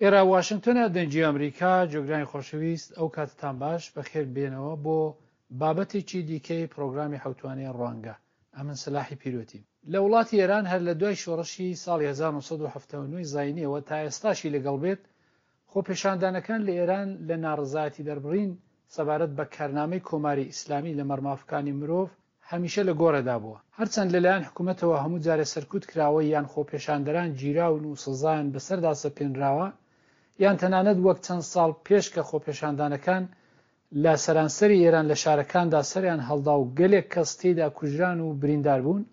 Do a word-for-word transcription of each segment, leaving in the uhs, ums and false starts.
ئێرە واشنگتۆنە، دەنگی ئەمریکا. گوێگرانی خۆشەویست، ئەو کاتتان باش، بەخێر بێنەوە بۆ بابەتێکی دیکەی پرۆگرامی حەوتوانەی ڕوانگە. ئەمن سەلاحی پیرۆتیم. لە وڵاتی ئێران هەر لە دوای شۆڕشی ساڵی هەزار و نۆ سەد و حەفتا و نۆ زاینیەوە تا ئێستاشی لەگەڵ بێت، خۆپێشاندانەکان لە ئێران لە ناڕەزایەتی دەربڕین سەبارەت بە کارنامەی کۆماری ئیسلامی لە مەرمافکانی مرۆڤ هەمیشە لە گۆڕێدا بووە. هەرچەند لەلایەن حکوومەتەوە هەموو جارێ سەرکوت کراوە یان خۆپێشاندەران گیراون و سزایان بەسەردا سەپێنراوە، یان تەنانەت وەک چەند ساڵ پێش کە خۆپێشاندانەکان لە سەرانسەری ئێران لە شارەکاندا سەریان هەڵدا و گەلێک کەس تێیدا کوژران و بریندار بوون،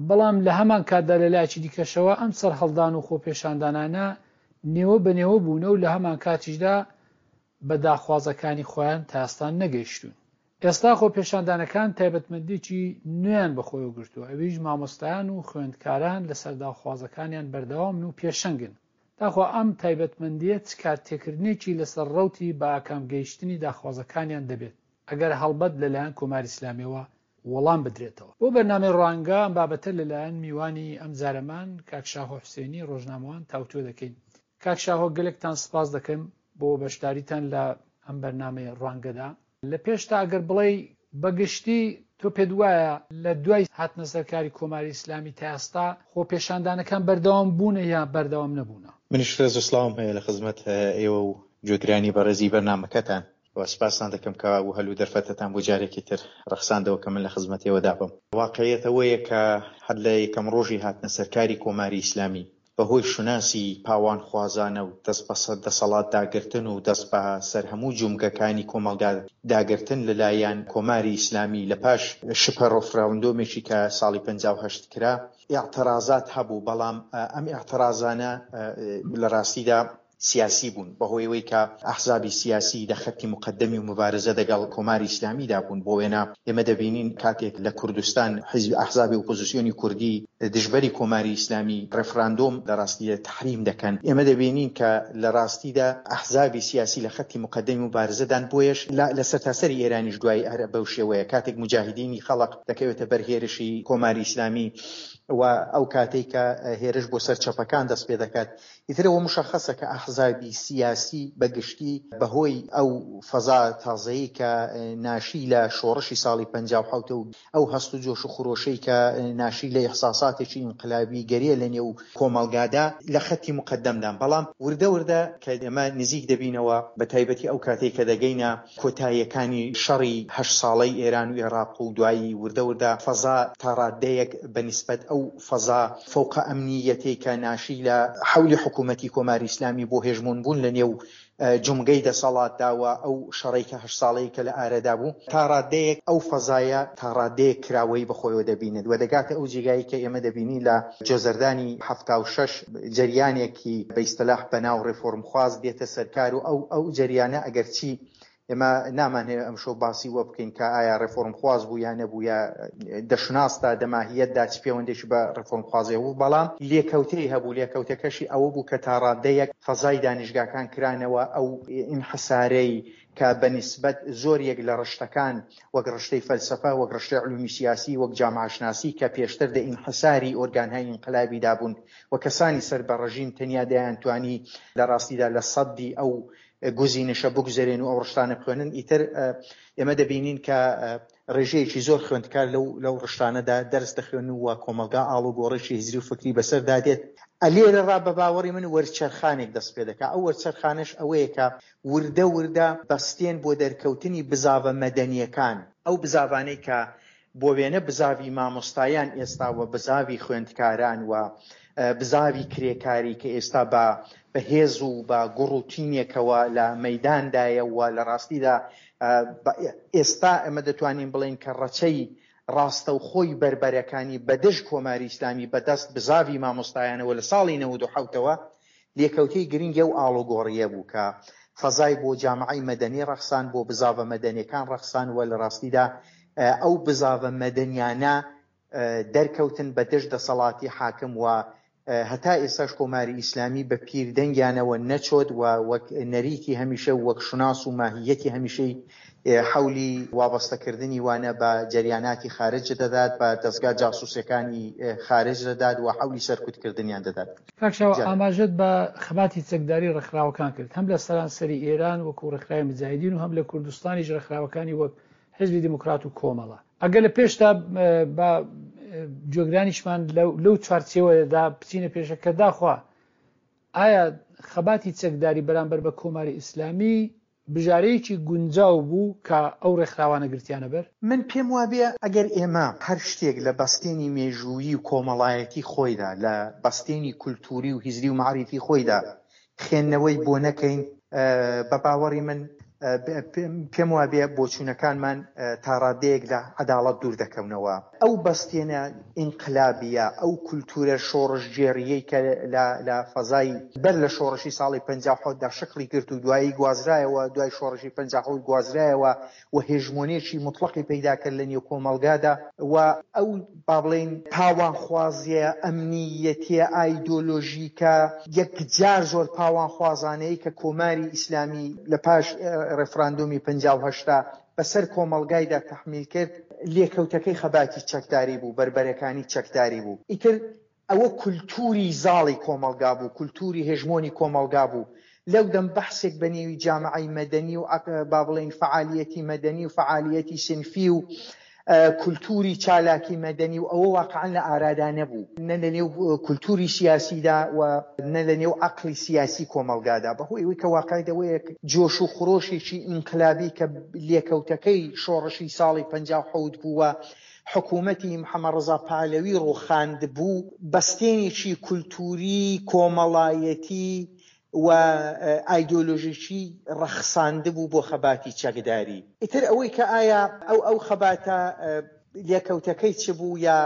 بەڵام لە هەمان کاتدا لە لایەکی دیکەشەوە ئەم سەرهەڵدان و خۆپێشاندانانە نێوە بە نێوە بوونە و لە هەمان کاتیشدا بە داخوازەکانی خۆیان تا ئێستا نەگەیشتوون. ئێستا خۆپێشاندانەکان تایبەتمەندێکی نوێیان بەخۆیەوە گرتووە، ئەویش مامۆستایان و خوێندکاران لەسەر داخوازەکانیان بەردەوامن و پێشەنگن. تاخوا ئەم تایبەتمەندیە چ کارتێکردنێکی لەسەر ڕەوتی بە ئاکام گەیشتنی داخوازەکانیان دەبێت، ئەگەر هەڵبەت لەلایەن کۆماری ئیسلامیەوە وەڵام بدرێتەوە. بۆ بەرنامەی ڕوانگە ئەم بابەتە لەلایەن میوانی ئەم جارەمان کاک شاهۆ حوسێنی ڕۆژنامەوان تاوتوێ دەکەین. کاک شاهۆ، گەلێکتان سپاس دەکەم بۆ بەشداریتان لە ئەم بەرنامەی ڕوانگەدا. لە پێشتا ئەگەر بڵێی بەگشتی تۆ پێت وایە لە دوای هاتنە سەرکاری کۆماری ئیسلامی تا ئێستا خۆپێشاندانەکان بەردەوام بوونە یا بەردەوام نەبوونە؟ منیش ڕێز و سڵاوم هەیە لە خزمەت ئێوە و گوێگرانی بەڕێزی بەرنامەکەتان و سپاستان دەکەم کە و هەل و دەرفەتەتان بۆ جارێکی تر ڕەخساندەوە کە من لە خزمەت ئێوەدا بم. واقعیەت ئەوەیە کە هەر لە یەکەم ڕۆژی هاتنە سەرکاری کۆماری ئیسلامی بەهۆی شوناسی پاوانخوازانە و دەست بەسەر دەسەڵات داگرتن و دەست بە سەر هەموو جومگەکانی کۆمەڵگا داگرتن لەلایەن کۆماری ئیسلامی لە پاش شپە ڕفراندۆمێکی کە ساڵی پەنجا و هەشت کرا ئیعترازات هەبوو، بەڵام ئەم ئیعترازانە لە ڕاستیدا سیاسی بوون بەهۆی ئەوەی کە ئەحزابی سیاسی لە خەتی مقەدەمی و مبارزە دەگەڵ کۆماری ئیسلامیدا بوون. بۆ وێنە ئێمە دەبینین کاتێک لە کوردستان حیزب ئەحزابی ئۆپۆزیسیۆنی کوردی دژبەری کۆماری ئیسلامی ڕێفراندۆم لە ڕاستیدا تەحریم دەکەن، ئێمە دەبینین کە لە ڕاستیدا ئەحزابی سیاسی لە خەتی مقەدەمی مبارزەدان. بۆیەش لە سەرتاسەری ئێرانیش دوای هەر بەو شێوەیە کاتێک مجاهدینی خەڵق دەکەوێتە بەر هێرشی کۆماری ئیسلامی و ئەو کاتێک کە هێرش بۆ سەر چەپەکان دەست پێ دەکات، ئیترەوە مشخصە کە ئەحزابی سیاسی بەگشتی بەهۆی ئەو فەزا تازەیە کە ناشی لە شۆڕشی ساڵی پەنجا و حەوت و ئەو هەست و جۆش و خرۆشەی کە ناشی لە ئیحساساتێکی ئینقلابی گەریە لە نێو کۆمەڵگادا لە خەتی مقەدەمدان. بەڵام وردە وردە کە ئێمە نزیک دەبینەوە، بە تایبەتی ئەو کاتێک کە دەگەینە کۆتاییەکانی شەڕی هەشت ساڵەی ئێران و عێراق و دوایی وردە وردە فەزا تا ڕادەیەک بە نسبەت ئەو فەزا فەوقە ئەمنیەتەی کە ناشی لە حەولی حکوومەتی کۆماری ئیسلامی بۆ هێژمۆن بوون لە نێو جومگەی دەسەڵاتدا و ئەو شەڕەی کە هەشت ساڵەی کە لە ئارەدا بوو، تا ڕادەیەک ئەو فەزایە تا ڕادەیەک کراوەی بەخۆیەوە دەبینێت و دەگاتە ئەو جێگایی کە ئێمە دەبینین لە جۆزەردانی حەفتا و شەش جەریانێکی بە ئیستلاح بەناو ڕێفۆرمخواز دێتە سەرکار و ئەو ئەو جەریانە ئەگەرچی ئێمە نامانهەوێ ئەمشەو باسی وە بکەین کە ئایا ڕێفۆرمخواز بوو یا نەبوو یا دەشناسدا دەماهیەتدا چ پەیوەندێکی بە ڕێفۆرمخوازی بوو، بەڵام لێکەوتەی هەبوو. لێکەوتەکەشی ئەوە بوو کە تا ڕادەیەک فەزای دانیشگاکان کرانەوە، ئەو ئینحسارەی کە بە نسبەت زۆر یەک لە ڕشتەکان وەک ڕشتەی فەلسەفە، وەک ڕشتەی علومی سیاسی، وەک جامعەشناسی کە پێشتر دە ئینحساری ئۆرگانهای ئینقلابیدا بوون و کەسانی سەر بە ڕژیم تەنیا دەیانتوانی لە ڕاستیدا لە سەدی ئەو گزینشە بگوزەرێن و ئەو ڕشتانە بخوێنن. ئیتر ئێمە دەبینین کە ڕێژەیەکی زۆر خوێندکار لەو لەو ڕشتانەدا دەرس دەخوێن و کۆمەڵگا ئاڵوگۆڕێکی هزری و فکری بەسەردا دێت. ئەلێرە ڕا بە باوەڕی من وەرچەرخانێک دەست پێ دەکا. ئەو وەرچەرخانەش ئەوەیە کە وردە وردە بەستێن بۆ دەرکەوتنی بزاڤە مەدەنیەکان، ئەو بزاڤانەی کە بۆ وێنە بزاڤی مامۆستایان ئێستا و بزاڤی خوێندکاران و بزاڤی کرێکاری کە ئێستا بە بەهێز و بە گوڕ و تینێکەوە لە مەیداندایە و لە ڕاستیدا ئێستا ئێمە دەتوانین بڵێین کە ڕەچەی ڕاستەوخۆی بەربەرەکانی بەدژ کۆماری ئیسلامی بەدەست بزاڤی مامۆستایانەوە لە ساڵی نەوەد و حەوتەوە لێکەوتەی گرنگی ئەو ئاڵوگۆڕیە بوو کە فەزای بۆ جامعەی مەدەنی ڕەخسان، بۆ بزاڤە مەدەنیەکان ڕەخسان و لە ڕاستیدا ئەو بزاڤە مەدەنیانە دەرکەوتن بە دژ دەسەڵاتی حاکم و هەتا ئێستاش کۆماری ئیسلامی بە پیردەنگیانەوە نەچۆت و وەک نەریتی هەمیشە و وەک شوناس و ماهیەتی هەمیشەی حەولی وابەستەکردنی وانە بە جەریاناتی خارج دەدات، بە دەستگا جاسوسەکانی خارج دەدات و حەولی سەرکوتکردنیان دەدات. کاک شاهۆ، ئاماژەت بە خەباتی چەکداری ڕێکخراوەکان کرد، هەم لە سەرانسەری ئێران وەکو ڕێکخراوی مجاهدین و هەم لە کوردستانیش ڕێکخراوەکانی وەک حیزبی دیموکرات و کۆمەڵە. ئەگەر لە پێشتا بە گوێگرانیشمان لەو چوارچێوەدا بچینە پێشە کە داخوا ئایا خەباتی چەکداری بەرامبەر بە کۆماری ئیسلامی بژارەیەکی گونجاو بوو کە ئەو ڕێکخراوانە گرتیانە بەر؟ من پێم وابێ ئەگەر ئێمە هەر شتێک لە بەستێنی مێژوویی و کۆمەڵایەتی خۆیدا، لە بەستێنی کولتوری و هزری و مەعریفی خۆیدا خوێندنەوەی بۆ نەکەین، بە باوەڕی من پێم وابێ بۆچوونەکانمان تا ڕادەیەک لە عەداڵەت دوور دەکەونەوە. ئەو بەستێنە ئینقلابیە، ئەو کولتورە شۆڕشگێڕیەی کە لە فەزای بەر لە شۆڕشی ساڵی پەنجا و حەوتدا شکڵی گرت و دوایی گوازرایەوە، دوای شۆڕشی پەنجا و حەوت گوازرایەوە و هێژمۆنێکی مطلقی پەیدا کرد لە نێو کۆمەڵگادا و ئەو با بڵێین پاوانخوازیە ئەمنیەتیە ئایدۆلۆژیکە یەکجار زۆر پاوانخوازانەیە کە کۆماری ئیسلامی لە پاش ڕێفراندۆمی پەنجا و هەشتا بەسەر کۆمەڵگایدا تەحمیل کرد، لێکەوتەکەی خەباتی چەکداری بوو، بەربەرەکانی چەکداری بوو. ئیتر ئەوە کولتوری زاڵی کۆمەڵگا بوو، کولتوری هێژمۆنی کۆمەڵگا بوو. لەو دەم بەحسێک بە نێوی جامعەی مەدەنی و با بڵێین فعالیەتی مەدەنی و فعالیەتی سنفی و کولتوری چالاکی مەدەنی و ئەوە واقعا لە ئارادا نەبوو، نە لە نێو کولتوری سیاسیدا و نە لە نێو عەقڵی سیاسی کۆمەڵگادا. بەهۆی ئەوەی کە واقعی دەوەیە جۆش و خرۆشێکی ئینقلابی کە لێکەوتەکەی شۆڕشی ساڵی پەنجا و حەوت بووە، حکوومەتی محەممەد ڕەزا پەهلەوی ڕووخاند بوو، بەستێنێکی کولتوری کۆمەڵایەتی و ئایدۆلۆژیکی ڕەخساند بوو بۆ خەباتی چەکداری. ئیتر ئەوەی کە ئایا ئەو ئەو خەباتە لێکەوتەکەی چ بوو یا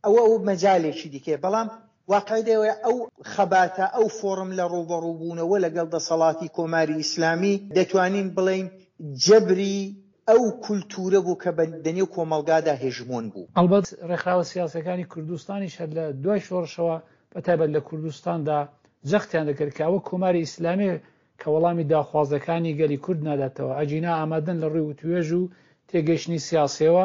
ئەوە ئەو مەجالێکی دیکەیە، بەڵام واقعی دەوەیە ئەو خەباتە، ئەو فۆرم لە ڕووبەڕووبوونەوە لەگەڵ دەسەڵاتی کۆماری ئیسلامی دەتوانین بڵێین جەبری ئەو کولتورە بوو کە دەنێو کۆمەڵگادا هێژمۆن بوو. ئەلبەت ڕێکخراوە سیاسەکانی کوردستانیش هەر لە دوای شۆڕشەوە بە تایبەت لە کوردستاندا جەختیان دەکرد کە ئەوە کۆماری ئیسلامی کە وەڵامی داخوازەکانی گەلی کورد ناداتەوە، ئەگینا ئامادەن لە ڕووی وتوێژ و تێگەیشتنی سیاسیەوە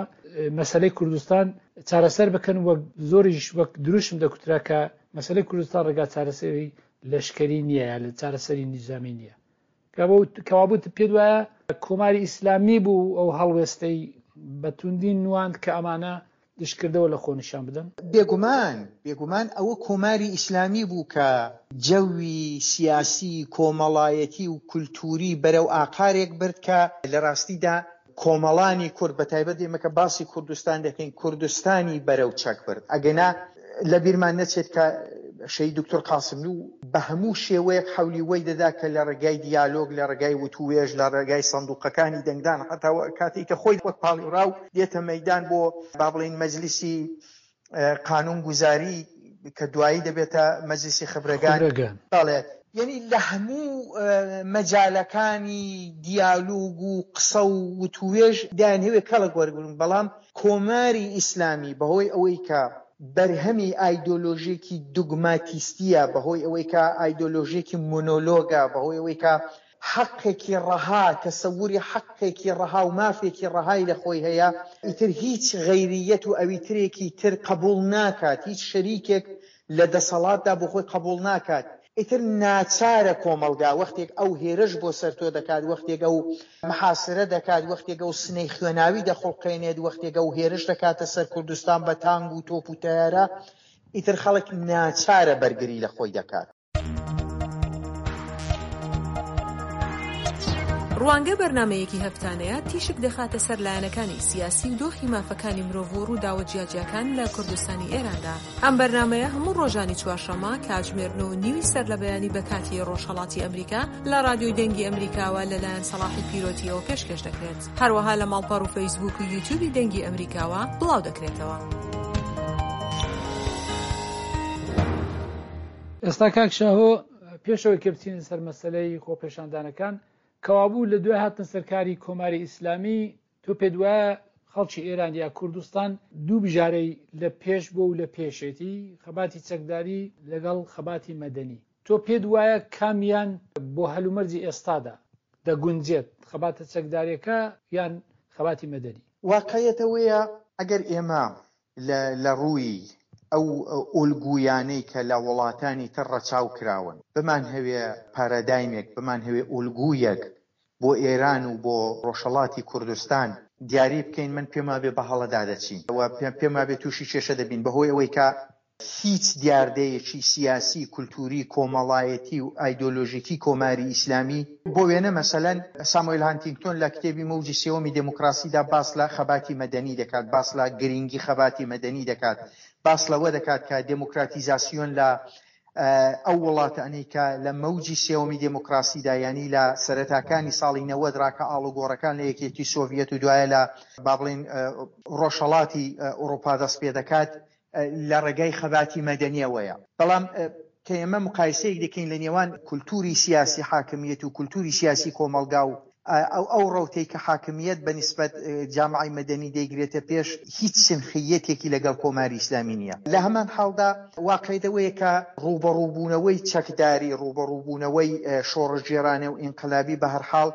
مەسەلەی کوردستان چارەسەر بکەن، وەک زۆریش وەک دروشم دەکوترا کە مەسەلەی کوردستان ڕێگا چارەسەری لەشکری نییە یا چارەسەری نیزامی نییە. کەوابوو پێت وایە کۆماری ئیسلامی بوو ئەو هەڵوێستەی بە توندی نواند کە ئەمانە دشکردەوە لە خۆ نیشان بدەن؟ بێگومان، بێگومان ئەوە کۆماری ئیسلامی بوو کە جەوی سیاسی، کۆمەڵایەتی و کولتوری بەرەو ئاقارێک برد کە لە ڕاستیدا کۆمەڵانی کورد، بە تایبەت ئێمە کە باسی کوردستان دەکەین، کوردستانی بەرەو چەک برد. ئەگەنا لە بیرمان نەچێت کە شەهید دکتۆر قاسملوو بە هەموو شێوەیەک حەولی وەی دەدا کە لە ڕێگای دیالۆگ، لە ڕێگای وتووێژ، لە ڕێگای سندوقەکانی دەنگدان، حتا کاتێک کە خۆی وەک پاڵیوراو دێتە مەیدان بۆ با بڵێین مەجلیسی قانونگوزاری کە دوایی دەبێتە مەجلیسی خبرەگان. بەڵێ، یعنی لە هەموو مەجالەکانی دیالۆگ و قسە و وتووێژ دایانهەوێ کەڵک وەرگرن، بەڵام کۆماری ئیسلامی بەهۆی ئەوەی کە بەرهەمی ئایدۆلۆژیکی دوگماتیستیە، بەهۆی ئەوەی کە ئایدۆلۆژیکی مۆنۆلۆگە، بەهۆی ئەوەی کە حەقێکی ڕەها، تەسەوری حەقێکی ڕەها و مافێکی ڕەهای لە خۆی هەیە، ئیتر هیچ غەیریەت و ئەویترێکی تر قبول ناکات، هیچ شەریکێک لە دەسەڵاتدا بۆ خۆی قبول ناکات. ئیتر ناچارە کۆمەڵگا وەختێک ئەو هێرش بۆ سەر تۆ دەکات، وەختێک ئەو محاسرە دەکات، وەختێک ئەو سنەی خوێناوی دەخوڵقێنێت، وەختێک ئەو هێرش دەکاتە سەر کوردستان بە تانگ و تۆپ و تەیارە، ئیتر خەڵک ناچارە بەرگری لە خۆی دەکات. ڕوانگە بەرنمەیەکی هەفتانەیە تیشک دەخاتە سەر لایەنەکانی سیاسی و دۆخی مافەکانی مرۆڤ و ڕووداوە جیاجیاکان لە کوردستانی ئێراندا. ئەم بەرنمەیە هەموو ڕۆژانی چوارشەممە کاتژمێر نۆ و نیوی سەر لە بەیانی بە کاتی ڕۆژهەڵاتی ئەمریکا لە ڕادیۆی دەنگی ئەمریکاوە لەلایەن سەڵاحی پیرۆتیەوە پێشکەش دەکرێت. هەروەها لە ماڵپەڕ و فەیسبوک و یوتیوبی دەنگی ئەمریکاوە بڵاو دەکرێتەوە. ئێستا کاک شاهۆ، پێشەوەی کە بچینە سەر مەسەلەی خۆپێشاندانەکان، کەوابوو لە دوای هاتنە سەرکاری کۆماری ئیسلامی تۆ پێت وایە خەڵکی ئێران یا کوردستان دوو بژارەی لە پێش بۆ و لە پێشێتی، خەباتی چەکداری لەگەڵ خەباتی مەدەنی. تۆ پێت وایە کامیان بۆ هەلومەرجی ئێستادا دەگونجێت، خەباتە چەکداریەکە یان خەباتی مەدەنی؟ واقعیەت ئەوەیە ئەگەر ئێمە لە ڕووی ئەو ئۆلگویانەی کە لە وڵاتانی تر ڕەچاو کراون بمانهەوێ پارادایمێک، بمانهەوێ ئۆلگویەک بۆ ئێران و بۆ ڕۆژهەڵاتی کوردستان دیاری بکەین، من پێم وابێ بە هەڵەدا دەچین و پێم وابێ تووشی کێشە دەبین، بەهۆی ئەوەی کە هیچ دیاردەیەکی سیاسی، کولتووری، کۆمەڵایەتی و ئایدۆلۆژیکی کۆماری ئیسلامی، بۆ وێنە مەسەلەن ساموئێل هانتینگتۆن لە کتێبی مەوجی سێوەمی دێموکراسیدا باس لە خەباتی مەدەنی دەکات، باس لە گرینگی خەباتی مەدەنی دەکات، باس لەوە دەکات کە دێموکراتیزاسیۆن لە ئەو وڵاتانەی کە لە مەوجی سێوەمی دێموکراسیدا، یانی لە سەرەتاکانی ساڵی نەوەد ڕا کە ئاڵوگۆڕەکان لە یەکێتی سۆڤیەت و دوایە لە با بڵێین ڕۆژهەڵاتی ئەوروپا دەست پێ دەکات، لە ڕێگای خەباتی مەدەنیەوەیە. بەڵام کە ئێمە مقایسەیەک دەکەین لە نێوان کولتوری سیاسی حاکمیەت و کولتوری سیاسی کۆمەڵگا و ئەو ئەو ڕەوتەی کە حاکمیەت بە نیسبەت جامعەی مەدەنی دەیگرێتە پێش، هیچ سنخیەتێکی لەگەڵ کۆماری ئیسلامی نییە. لە هەمان حاڵدا واقعیەت ئەوەیە کە ڕووبەڕووبوونەوەی چەکداری، ڕووبەڕووبوونەوەی شۆڕشگێڕانە و ئینقلابی بە هەر حاڵ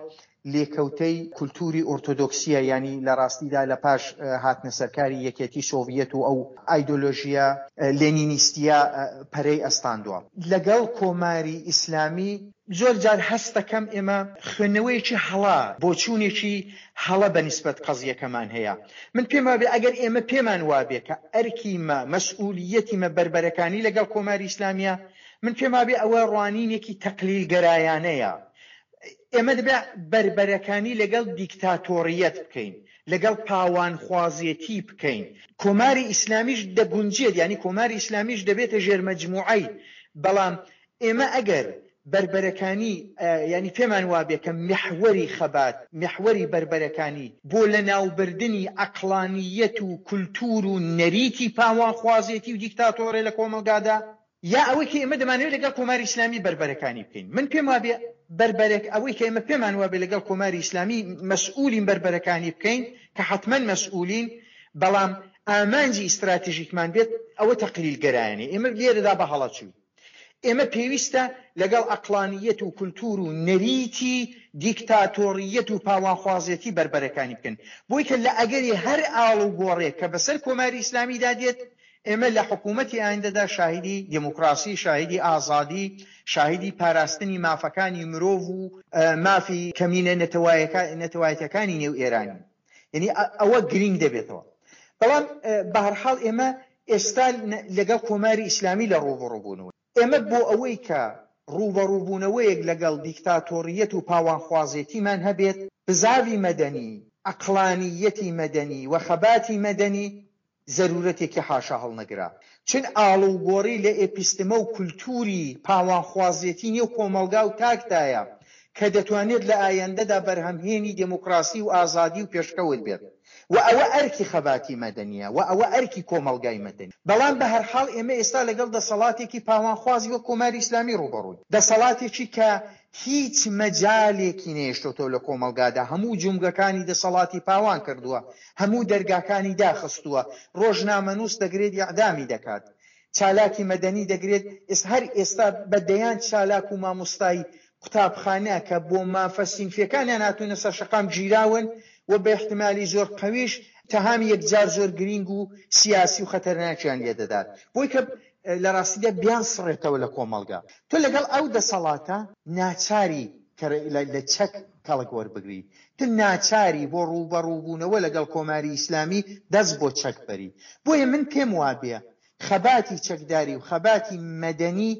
لێکەوتەی کولتوری ئۆرتۆدۆکسیە، یانی لە ڕاستیدا لە پاش هاتنە سەرکاری یەکێتی سۆڤیەت و ئەو ئایدۆلۆژیە لێنینیستیە پەرەی ئەستاندوە. لەگەڵ کۆماری ئیسلامی زۆر جار هەست دەکەم ئێمە خوێندنەوەیەکی هەڵە، بۆچوونێکی هەڵە بە نیسبەت قەزیەکەمان هەیە. من پێم وابێ ئەگەر ئێمە پێمان وابێ کە ئەرکی مە، مەسئولیەتی مە بەربەرەکانی لەگەڵ کۆماری ئیسلامیە، من پێم وابێ ئەوە ڕوانینێکی تەقلیلگەرایانەیە. ئێمە دەبێ بەربەرەکانی لەگەڵ دیکتاتۆریەت بکەین، لەگەڵ پاوانخوازێتی بکەین. کۆماری ئیسلامیش دەگونجێت، یانی کۆماری ئیسلامیش دەبێتە ژێرمەجموعەی، بەڵام ئێمە ئەگەر بەربەرەکانی، یانی پێمان وابێ کە میحوەری خەبات، میحوەری بەربەرەکانی بۆ لەناوبردنی عەقڵانیەت و کولتوور و نەریتی پاوانخوازێتی و دیکتاتۆرێ لە کۆمەڵگادا، یا ئەوەی کە ئێمە دەمانەوێت لەگەڵ کۆماری ئیسلامی بەربەرەکانی بکەین. من پێم وابێ بەربەرەک ئەوەی کە ئێمە پێمان وابێ لەگەڵ کۆماری ئیسلامی مەسئولین بەربەرەکانی بکەین، کە حتمەن مەسئولین، بەڵام ئامانجی ئیستراتژیکمان بێت ئەوە تەقلیلگەرایانەیە. ئێمە لێرەدا بە هەڵە چووین. ئێمە پێویستە لەگەڵ عەقڵانیەت و کولتور و نەریتی دیکتاتۆریەت و پاوانخوازێتی بەربەرەکانی بکەن، بۆی کە لە ئەگەری هەر ئاڵوگۆڕێک کە بەسەر کۆماری ئیسلامیدا دێت، ئێمە لە حکوومەتی ئایندەدا شاهیدی دێموکراسی، شاهیدی ئازادی، شاهیدی پاراستنی مافەکانی مرۆڤ و مافی کەمینە نەتەوایەتیەکانی نێو ئێرانی. یعنی ئەوە گرینگ دەبێتەوە. بەڵام بە هەر حاڵ ئێمە ئێستا لەگەڵ کۆماری ئیسلامی لە ڕووبەڕووبوونەوە. ئێمە بۆ ئەوەی کە ڕووبەڕووبوونەوەیەک لەگەڵ دیکتاتۆریەت و پاوانخوازێتیمان هەبێت، بزاوی مەدەنی، عەقڵانیەتی مەدەنی و خەباتی مەدەنی زەرورەتێکی حاشا هەڵنەگرا. چون ئاڵوگۆڕی لە ئێپیستمە و کولتوری پاوانخوازێتی نێو کۆمەڵگا و تاکدایە کە دەتوانێت لە ئایندەدا بەرهەمهێنی دێموکراسی و ئازادی و پێشکەوت بێت و ئەوە ئەرکی خەباتی مەدەنیە و ئەوە ئەرکی کۆمەڵگای مەدەنی. بەڵام بە هەر حاڵ ئێمە ئێستا لەگەڵ دەسەڵاتێکی پاوانخوازی وەک کۆماری ئیسلامی ڕووبەڕووین، دەسەڵاتێکی کە هیچ مەجالێکی نەیشتۆتەوە لە کۆمەڵگادا، هەموو جومگەکانی دەسەڵاتی پاوان کردووە، هەموو دەرگاکانی داخستووە، ڕۆژنامەنووس دەگرێت ئیعدامی دەکات، چالاکی مەدەنی دەگرێت، هەر ئێستا بە دەیان چالاک و مامۆستای قوتابخانە کە بۆ مافە سینفیەکانیان هاتوونە سەر شەقام گیراون و بە احتمالی زۆر قەویش تەهامی یەکجار زۆر گرینگ و سیاسی و خەتەرناکیان لێدەدات، بۆی کە لە ڕاستیدا بیان سڕێتەوە لە کۆمەڵگا. تۆ لەگەڵ ئەو دەسەڵاتە ناچاری کە لە چەک کەڵک وەربگری، تو ناچاری بۆ ڕووبەڕووبوونەوە لەگەڵ کۆماری ئیسلامی دەست بۆ چەک بەری. بۆیە من پێم وابێ خەباتی چەکداری و خەباتی مەدەنی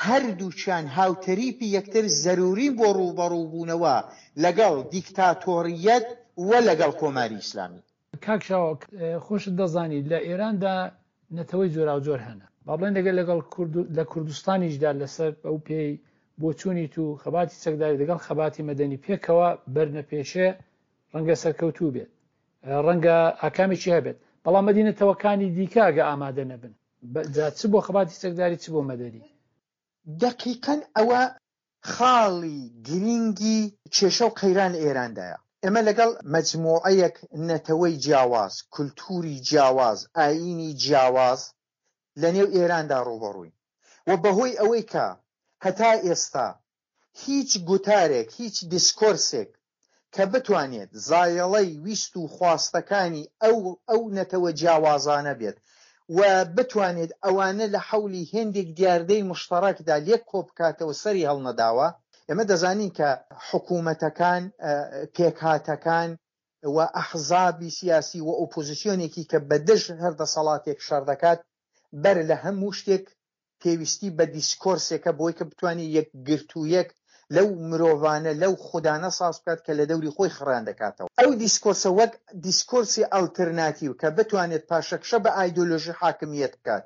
هەردووچیان هاوتەریپی یەکتر زەرورین بۆ ڕووبەڕووبوونەوە لەگەڵ دیکتاتۆریەت و لەگەڵ کۆماری ئیسلامی. کاک شاوە، خۆشت دەزانی لە ئێراندا نەتەوەی جۆراوجۆر هەنە، با بڵێن لەگەڵ لەگەڵ لە کوردستانیشدا لەسەر ئەو پێی بۆچوونی تو خەباتی چەکداری لەگەڵ خەباتی مەدەنی پێکەوە بەرنەپێشێ ڕەنگە سەرکەوتوو بێت، ڕەنگە ئاکامێکی هەبێت، بەڵام مەدینەتەوەکانی دیکە ئەگە ئامادە نەبن، جا چ بۆ خەباتی چەکداری چ بۆ مەدەنی. دقیقاً ئەوە خاڵی گرینگی کێشە و قەیران لە ئێراندایە. ئێمە لەگەڵ مەجموعەیەک نەتەوەی جیاواز، کولتووری جیاواز، ئایینی جیاواز لە نێو ئێراندا ڕووبەڕووین و بەهۆی ئەوەی کە هەتا ئێستا هیچ گوتارێک، هیچ دیسکۆرسێک کە بتوانێت زایەڵەی ویست و خواستەکانی ئەو ئەو نەتەوە جیاوازانە بێت و بتوانێت ئەوانە لە حەولی هێندێک دیاردەی مشتەڕەکدا لێک کۆ بکاتەوە سەری هەڵنەداوە. ئێمە دەزانین کە حکوومەتەکان، پێکهاتەکان و ئەحزابی سیاسی و ئۆپۆزیسیۆنێکی کە بە دژ هەر دەسەڵاتێک شەڕ دەکات بەر لە هەموو شتێک پێویستی بە دیسکۆرسێکە بۆی کە بتوانێت یەکگرتوویەک لەو مرۆڤانە لەو خودانە ساز بکات کە لە دەوری خۆی خڕیان دەکاتەوە. ئەو دیسکۆرسە وەک دیسکۆرسی ئەلتەرناتیو کە بتوانێت پاشەکشە بە ئایدۆلۆژی حاکمیەت بکات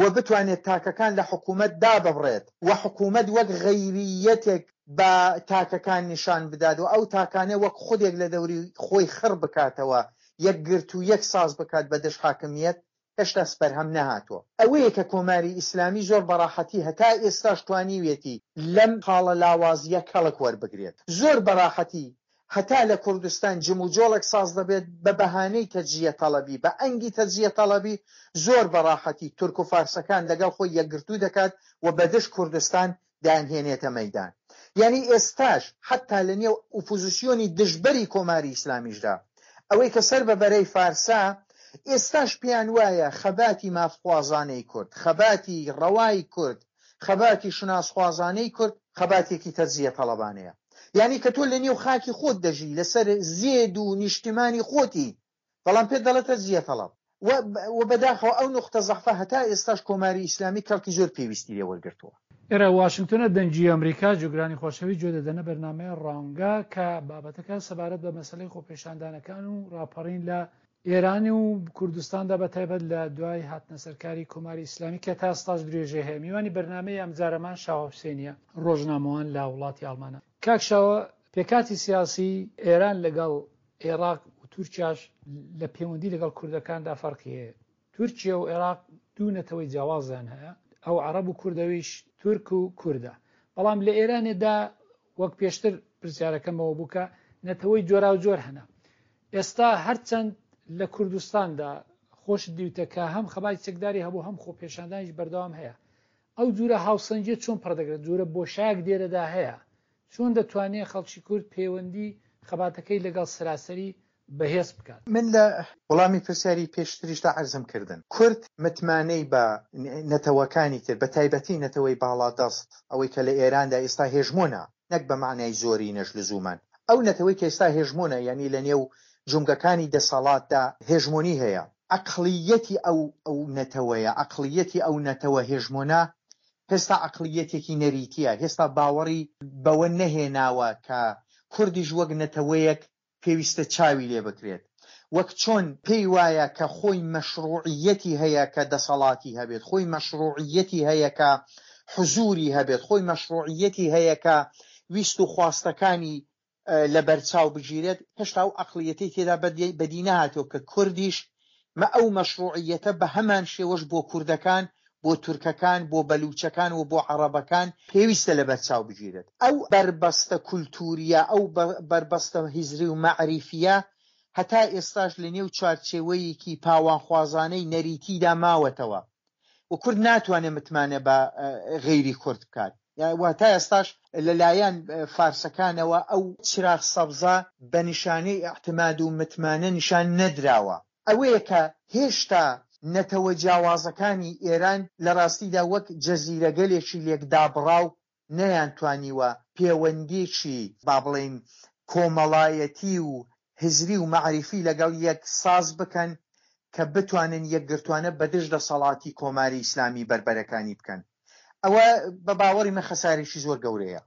و بتوانێت تاکەکان لە حکوومەت داببڕێت و حکوومەت وەک غەیریەتێک بە تاکەکان نیشان بدات و ئەو تاکانە وەک خودێک لە دەوری خۆی خڕ بکاتەوە، یەکگرتوو یەک ساز بکات بە دژ حاکمیەت، هێشتا بەرهەم نەهاتووە. ئەوەیە کە کۆماری ئیسلامی زۆر بەڕاحەتی هەتا ئێستاش توانیوێتی لەم خاڵە لاوازیە کەڵک وەربگرێت. زۆر بەڕاحەتی هەتا لە کوردستان جموجۆڵێک ساز دەبێت بە بەهانەی تەجزیە تەڵەبی، بە ئەنگی تەجزیە تەڵەبی زۆر بەڕاحەتی تورک و فارسەکان لەگەڵ خۆی یەکگرتوو دەکات و بە دژ کوردستان دانهێنێتە مەیدان. یعنی ئێستاش حتا لە نێو ئۆپۆزیسیۆنی دژبەری کۆماری ئیسلامیشدا ئەوەی کە سەر بە بەرەی فارسە ئێستاش پێیان وایە خەباتی مافخوازانەی کورد، خەباتی ڕەوای کورد، خەباتی شوناسخوازانەی کورد خەباتێکی تەجزیە تەڵەبانەیە. یعنی کە تۆ لە نێو خاکی خۆت دەژی لەسەر زێد و نیشتیمانی خۆتی، بەڵام پێت دەڵێ تەجزیە تەڵەب. و بەداخەوە ئەو نوقتە زەعفە هەتا ئێستاش کۆماری ئیسلامی کەڵکی زۆر پێویستی لێ وەرگرتووە. ئێرە واشنگتۆنە، دەنگی ئەمریکا، جوگرانی خۆشەویست گوێ دەدەنە بەرنامەی ڕانگە کە بابەتەکە سەبارەت بە مەسەلەی خۆپێشاندانەکان و ڕاپەڕین لە ئێران و کوردستاندا بە تایبەت لە دوای هاتنە سەرکاری کۆماری ئیسلامی کە تا ئێستاش درێژەی هەیە. میوانی بەرنامەی ئەمجارەمان شاوە حوسێنیە، ڕۆژنامەوان لە وڵاتی ئەڵمانە. کاک شاوە، پێکاتی سیاسی ئێران لەگەڵ عێراق و تورکیاش لە پەیوەندی لەگەڵ کوردەکاندا فەرقی هەیە. تورکیا و عێراق دوو نەتەوەی جیاوازیان هەیە، ئەو عەرەب و کوردەویش تورک و کوردە. بەڵام لە ئێرانێدا وەک پێشتر پرسیارەکەمەوە بوو کە نەتەوەی جۆراوجۆر هەنە. ئێستا هەرچەند لە کوردستاندا خۆش دیوتە کە هەم خەباتی چەکداری هەبوو هەم خۆپێشاندانیش بەردەوام هەیە، ئەو جورە هاوسەنگیە چۆن پڕدەگرێت؟ جورە بۆشایەک دێرەدا هەیە، چۆن دەتوانێت خەڵکی کورد پەیوەندی خەباتەکەی لەگەڵ سەراسەری بەهێز بکات؟ من لە وەڵامی پرسیاری پێشتریشدا عەرزم کردن، کورد متمانەی بە نەتەوەکانی تر، بە تایبەتی نەتەوەی باڵادەست، ئەوەی کە لە ئێراندا ئێستا هێژمۆنە، نەک بە معنای زۆری نەش لزومان، ئەو نەتەوەی کە ئێستا هێژمۆنە، یعنی لە نێو جومگەکانی دەسەڵاتدا هێژمۆنی هەیە، عەقڵیەتی ئەو ئەو نەتەوەیە، عەقڵیەتی ئەو نەتەوە هێژمۆنە هێستا عەقڵیەتێکی نەریتیە، هێستا باوەڕی بەوە نەهێناوە کە کوردیش وەک نەتەوەیەک پێویستە چاوی لێ بکرێت، وەک چۆن پێی وایە کە خۆی مەشروعیەتی هەیە کە دەسەڵاتی هەبێت، خۆی مەشروعیەتی هەیە کە حزوری هەبێت، خۆی مەشروعیەتی هەیە کە ویست و خواستەکانی لەبەرچاو بگیرێت، هێشتا ئەو عەقڵیەتەی تێدا بەدی نەهاتووە کە کوردیش مە ئەو مەشروعیەتە بە هەمان شێوەش بۆ کوردەکان، بۆ تورکەکان، بۆ بەلوچەکان و بۆ عەرەبەکان پێویستە لەبەرچاو بگیرێت. ئەو بەربەستە کولتوریە، ئەو بەربەستە هزری و مەعریفیە هەتا ئێستاش لە نێو چوارچێوەیەکی پاوانخوازانەی نەریتیدا ماوەتەوە و کورد ناتوانێت متمانە بە غەیری کورد بکات. واتە ئێستاش لەلایەن فارسەکانەوە ئەو چراغ سەبزە بە نیشانەی ئیعتماد و متمانە نیشان نەدراوە. ئەوەیە کە هێشتا نەتەوە جیاوازەکانی ئێران لە ڕاستیدا وەک جەزیرەگەلێکی لێکدابڕاو نەیانتوانیوە پەیوەندیکی با بڵێین کۆمەڵایەتی و هزری و مەعریفی لەگەڵ یەک ساز بکەن کە بتوانن یەکگرتوانە بەدژ دەسەڵاتی کۆماری ئیسلامی بەربەرەکانی بکەن. ئەوە بە باوەڕی من خەسارێکی زۆر گەورەیە.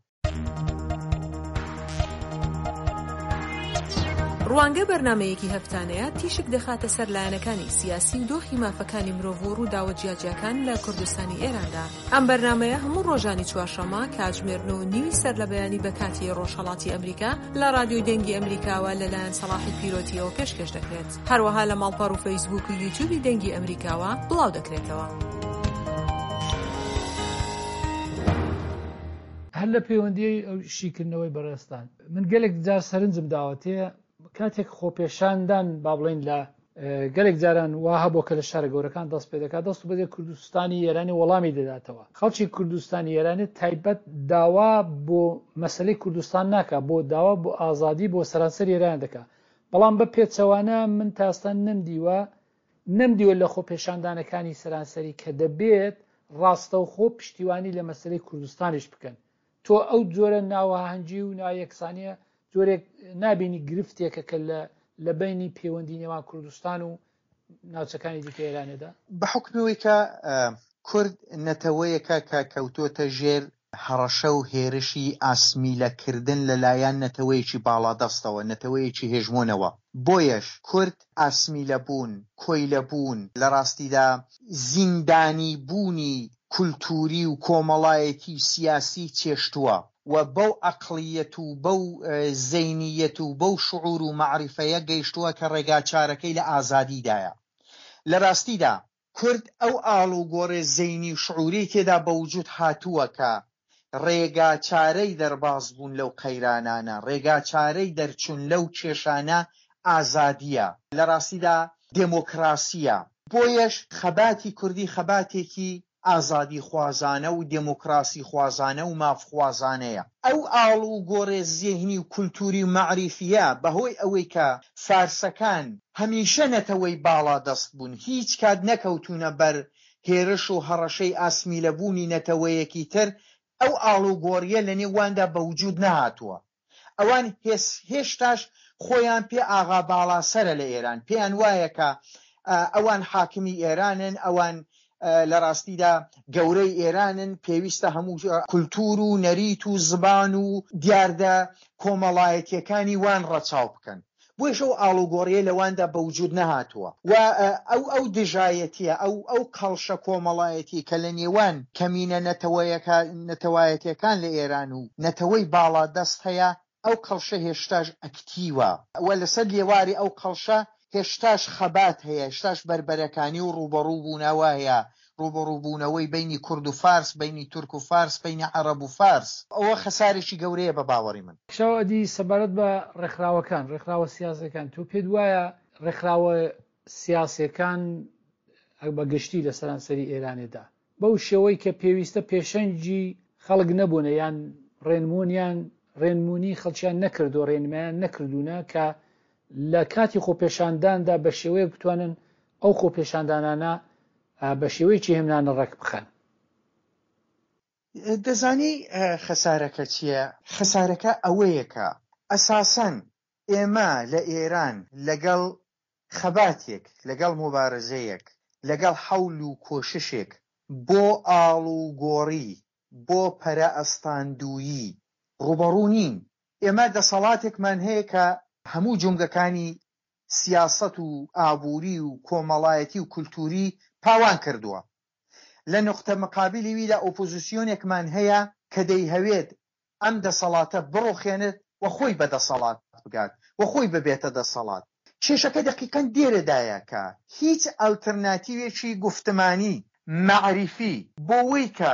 ڕوانگە بەرنمەیەکی هەفتانەیە تیشک دەخاتە سەر لایەنەکانی سیاسی و دۆخی مافەکانی مرۆڤ و ڕووداوە جیاجیاکان لە کوردستانی ئێراندا. ئەم بەرنمەیە هەموو ڕۆژانی چوارشەممە کاتژمێر نۆ و نیوی سەر لە بەیانی بە کاتی ڕۆژهەڵاتی ئەمریکا لە ڕادیۆی دەنگی ئەمریکاوە لەلایەن سەڵاحی پیرۆتیەوە پێشکەش دەکرێت. هەروەها لە ماڵپەڕ و فەیسبوک و یوتیوبی دەنگی ئەمریکاوە بڵاو دەکرێتەوە. هەر لە پەیوەندی ئەو شیکردنەوەی بەڕێستان من گەلێک جار سەرنجم داوەتێ کاتێک خۆپێشاندان با بڵێین لە گەلێک جاران وا هەبوو کە لە شارە گەورەکان دەست پێ دەکات، دەست بەجێ کوردستانی ئێرانی وەڵامی دەداتەوە. خەڵکی کوردستانی ئێرانی تایبەت داوا بۆ مەسلەی کوردستان ناکا، بۆ داوا بۆ ئازادی بۆ سەرانسەر ئێران دەکا. بەڵام بە پێچەوانە من تاستان نەمدیوە نەمدیوە لە خۆپێشاندانەکانی سەرانسەری کە دەبێت ڕاستەوخۆ پشتیوانی لە مەسلەی کوردستانیش بکەن. تۆ ئەو جۆرە ناوەهەنگی و نایەکسانیە جۆرێک نابینی گرفتێکە کە لە لە بینی پەیوەندی نێوان کوردستان و ناوچەکانی دیکە ئێرانێدا؟ بە حوکمەوەی کە کورد نەتەوەیەکە کە کەوتۆتە ژێر هەڕەشە و هێرشی ئاسمیلەکردن لەلایەن نەتەوەیەکی باڵادەستەوە، نەتەوەیەکی هێژمۆنەوە، بۆیەش کورد ئاسمیلەبوون، کۆیلەبوون، لە ڕاستیدا زیندانی بوونی کولتووری و کۆمەڵایەتی و سیاسی چێشتووە و بەو عەقڵیەت و بەو زەینیەت و بەو شعور و مەعریفەیە گەیشتووە کە ڕێگاچارەکەی لە ئازادیدایە. لە ڕاستیدا کورد ئەو ئاڵوگۆڕێ زەینی و شعوری تێدا بە وجود هاتووە کە ڕێگاچارەی دەرباز بوون لەو قەیرانانە، ڕێگاچارەی دەرچوون لەو کێشانە ئازادیە، لە ڕاستیدا دێمۆکراسیە. بۆیەش خەباتی کوردی خەباتێکی ئازادی خوازانە و دێمۆکراسی خوازانە و مافخوازانەیە. ئەو ئاڵ و گۆڕێ زێهنی و کولتوری و مەعریفیە بەهۆی ئەوەی کە فارسەکان هەمیشە نەتەوەی باڵا دەست بوون، هیچ کات نەکەوتونە بەر هێرش و هەڕەشەی ئاسمیلەبوونی نەتەوەیەکی تر، ئەو ئاڵوگۆڕیە لە نێواندا بە وجود نەهاتووە. ئەوان هێشتاش خۆیان پێ ئاغا باڵا سەرە لە ئێران، پێیان وایە کە ئەوان حاکمی ئێرانن، ئەوان لە ڕاستیدا گەورەی ئێرانن، پێویستە هەموو کولتور و نەریت و زبان و دیاردە کۆمەڵایەتیەکانی وان ڕەچاو بکەن. بۆیش ئەو ئاڵوگۆڕیە لەواندا بە وجود نەهاتووە و ئەو ئەو دژایەتیە، ئەو ئەو کەڵشە کۆمەڵایەتی کە لە نێوان کەمینە نەتەوەیەکان لە ئێران و نەتەوەی باڵادەست هەیە، ئەو کەڵشە هێشتاش ئەکتیوە و لەسەر لێواری ئەو کەڵشە هێشتاش خەبات هەیە، هێشتاش بەربەرەکانی و ڕووبەڕوو بوونەوە هەیە، ڕووبەڕووبوونەوەی بینی کورد و فارس، بینی تورک و فارس، بینی عەرەب و فارس. ئەوە خەسارێکی گەورەیە بە باوەڕی من. شاو ئەدی سەبارەت بە ڕێکخراوەکان، ڕێکخراوە سیاسەکان، تۆ پێت وایە ڕێکخراوە سیاسەکان بە گشتی لە سەرانسەری ئێرانێدا بەو شێوەی کە پێویستە پێشەنگی خەڵک نەبوونە یان ڕێنمونیان ڕێنمونی خەڵکیان نەکردو ڕێنمایان نەکردوونە کە لە کاتی خۆپێشانداندا بە شێوەیەک بتوانن ئەو خۆپێشاندانانە بە شێوەیەکی هێمنانە ڕێک بخەن؟ دەزانی خەسارەکە چییە؟ خەسارەکە ئەوەیە کە ئەساسەن ئێمە لە ئێران لەگەڵ خەباتێک، لەگەڵ مبارزەیەک، لەگەڵ حەول و کۆششێک بۆ ئاڵ و گۆڕی، بۆ پەرە ئەستاندویی ڕوبەڕوو نین. ئێمە دەسەڵاتێکمان هەیە کە هەموو جومگەکانی سیاسەت و ئابووری و کۆمەڵایەتی و کولتوری پاوان کردووە. لە نقطە مقابلی ویدا ئۆپۆزیسیۆنێکمان هەیە کە دەیهەوێت ئەم دەسەڵاتە بڕوخێنێت و خۆی بە دەسەڵات بگات و خۆی ببێتە دەسەڵات. کێشەکە دەقیقەن دێرەدایە کە هیچ ئەلتەرناتیوێکی گوفتمانی مەعریفی بۆ وەی کە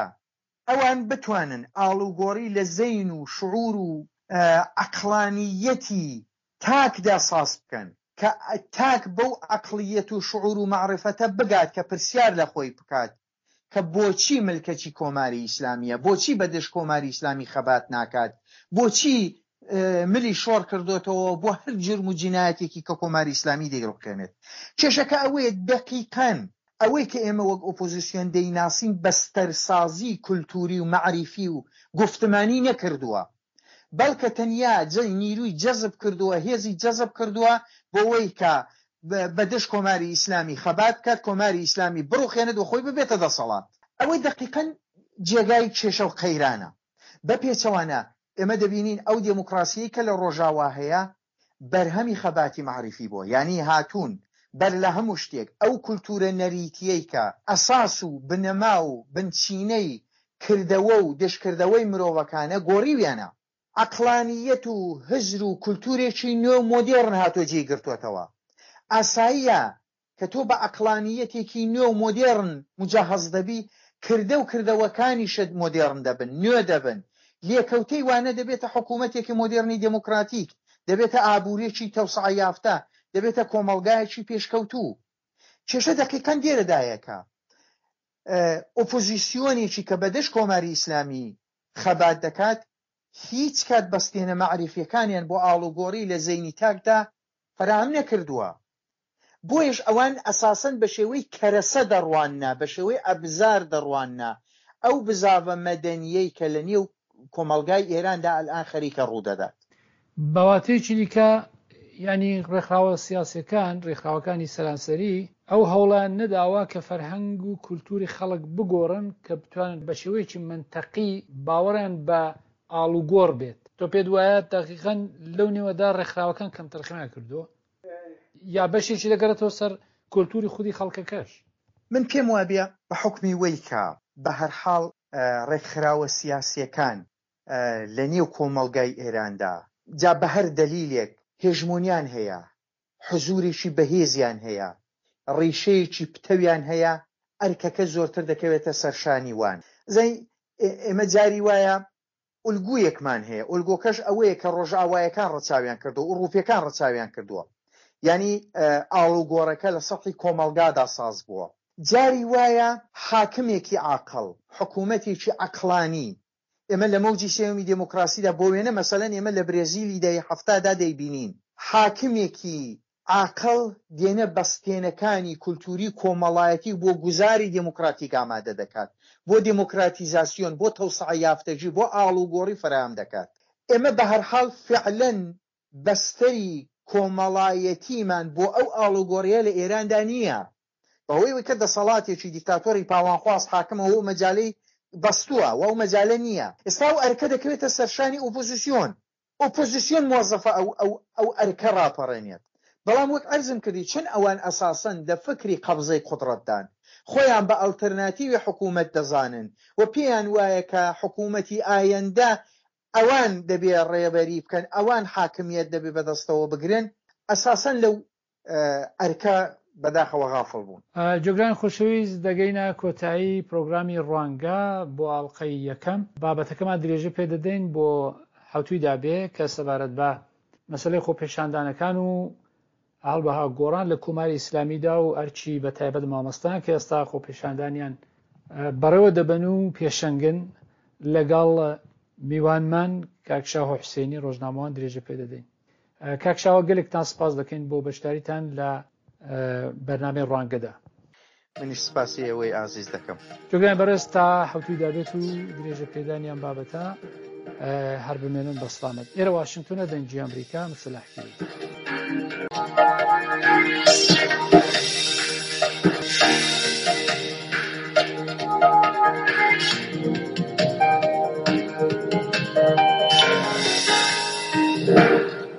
ئەوان بتوانن ئاڵوگۆڕی لە زەین و شعور و عەقڵانیەتی تاکدا ساز بکەن، کە تاک بەو عەقڵیەت و شعور و مەعریفەتە بگات کە پرسیار لە خۆی بکات کە بۆچی ملکەچی کۆماری ئیسلامیە، بۆچی بەدژ کۆماری ئیسلامی خەبات ناکات، بۆچی ملی شۆڕ کردوتەوە بۆ هەر جرم و جینایەتێکی کە کۆماری ئیسلامی دەیڕوخێنێت. کێشەکە ئەوەیە دەقیقەن ئەوەی کە ئێمە وەک ئۆپۆزیسیۆن دەیناسین بەستەرسازی کولتوری و مەعریفی و گفتمانی نەکردووە، بەڵکە تەنیا نیروی جەزب کردووە، هێزی جەزب کردووە بۆ وەی کە بەدژ کۆماری ئیسلامی خەبات بکات، کۆماری ئیسلامی بڕوخێنێت و خۆی ببێتە دەسەڵات. ئەوەی دەقیقەن جێگای کێشە و قەیرانە. بە پێچەوانە ئێمە دەبینین ئەو دێموکراسیەی کە لە ڕۆژاوا هەیە بەرهەمی خەباتی مەعریفی بووە، یعنی هاتوون بەر لە هەموو شتێک ئەو کولتورە نەریتیەی کە ئەساس و بنەما و بنچینەی کردەوە و دشکردەوەی مرۆڤەکانە گۆڕیویانە. عەقڵانیەت و هزر و کولتورێکی نوێ و مۆدێرن هاتۆ جێی گرتووەتەوە. ئاساییە کە تۆ بە عەقڵانیەتێکی نوێ و مۆدێرن مجەهەز دەبی، کردە و کردەوەکانیشت مۆدێرن دەبن، نوێ دەبن. لێکەوتەی وانە دەبێتە حکوومەتێکی مۆدێرنی دێموکراتیک، دەبێتە ئابووریەکی تەوسعە یافتە، دەبێتە کۆمەڵگایەکی پێشکەوتوو. کێشە دەقیقەن لێرەدایەکە ئۆپۆزیسیۆنێکی کە بەدەش کۆماری ئیسلامی خەبات دەکات هیچ کات بەستێنە مەعریفیەکانیان بۆ ئاڵوگۆڕی لە زەینی تاکدا فەراهەم نەکردووە. بۆیش ئەوان ئەساسەن بە شێوەی کەرەسە دەڕواننا، بە شێوەی ئەبزار دەڕواننا ئەو بزاڤە مەدەنیەی کە لە نێو کۆمەڵگای ئێراندا ئەلئان خەریکە ڕوودەدات. بەواتەیەکی دیکە یعنی ڕێکخراوە سیاسیەکان، ڕێکخراوەکانی سەرانسەری ئەو هەوڵیان نەداوە کە فەرهەنگ و کولتوری خەڵک بگۆڕن کە بتوانن بە شێوەیەکی منتەقی باوەڕیان بە ئاڵوگۆڕ بێت. تۆ پێت وایە دەقیقەن لەو نێوەدا ڕێکخراوەکان کەمتەرخەمیان کردووە یا بەشێکی دەگەڕێتەوە سەر کولتوری خودی خەڵکەکەش؟ من پێم وابێ بە حوکمی وەی کە بە هەر حاڵ ڕێکخراوە سیاسیەکان لە نێو کۆمەڵگای ئێراندا جا بە هەر دەلیلێک هێژمۆنیان هەیە، حزوورێکی بەهێزیان هەیە، ڕیشەیەکی پتەویان هەیە، ئەرکەکە زۆرتر دەکەوێتە سەرشانی وان. زەی ئێمە جاری وایە ئولگویەکمان هەیە، ئولگۆکەش ئەوەیە کە ڕۆژئاوایەکان ڕەچاویان کردووە، ئوروپیەکان ڕەچاویان کردووە، یعنی ئاڵوگۆڕەکە لە سەطحی کۆمەڵگادا ساز بووە. جاری وایە حاکمێکی عاقڵ، حکوومەتێکی عەقڵانی، ئێمە لە مەوجی سێومی دێموکراسیدا بۆ وێنە مەسەلەن ئێمە لە برێزیلی دەی هەفتادا دەیبینین، حاکمێکی عاقڵ دێنە بەستێنەکانی کولتوری کۆمەڵایەتی بۆ گوزاری دێموکراتیک ئامادە دەکات، بۆ دێموکراتیزاسیۆن، بۆ تەوسعە یافتەگی، بۆ ئاڵوگۆڕی فەراهەم دەکات. ئێمە بە هەر حاڵ فعلەن بەستەری کۆمەڵایەتیمان بۆ ئەو ئاڵوگۆڕیە لە ئێراندا نییە، بەهۆی ئەوەی کە دەسەڵاتێکی دیکتاتۆری پاوانخواز حاکمەوە و مەجالەی بەستووە و ئەو مەجالە نییە. ئێستا ئەو ئەرکە دەکەوێتە سەرشانی ئۆپۆزیسیۆن، ئۆپۆزیسیۆن موەزەفە ئەو ئەو ئەو ئەرکە ڕاپەڕێنێت. بەڵام وەک عەرزم کردی چون ئەوان ئەساسەن لە فکری قەبزەی قودرەتدان، خۆیان بە ئەلتەرناتیوی حکوومەت دەزانن و پێیان وایە کە حکوومەتی ئایەندە ئەوان دەبێ ڕێبەری بکەن، ئەوان حاکمیەت دەبێ بەدەستەوە بگرن، ئەساسەن لەو ئەرکە بەداخەوە غافڵ بوون. جۆگران خۆشەویست، دەگەینە کۆتایی پرۆگرامی ڕوانگە بۆ ئاڵلقەی یەکەم. بابەتەکەمان درێژە پێدەدەین بۆ حوتوی دابێ کە سەبارەت بە مەسلەی خۆپێشاندانەکان و هەڵبەها گۆڕان لە کۆماری ئیسلامیدا و ئەرچی بە تایبەت مامۆستان کە ئێستا خۆپێشاندانیان بەڕێوە دەبەن و پێشەنگن، لەگەڵ میوانمان کاک شاهۆ حوسێنی ڕۆژنامەوان درێژە پێدەدەین. کاک شاهۆ، گەلێکتان سپاس دەکەین بۆ بەشداریتان لە بەرنامەی ڕوانگەدا. منیش سپاسی ئێوەی ئازیز دەکەم. جۆگران بەڕێز، تا حوتوی دابێت و درێژە پێدانیان بابەتە هەر بمێنن بە سلامەت. ئێرە واشنگتۆنە، دەنگی ئەمریکا، مسەلاح پیرۆتی.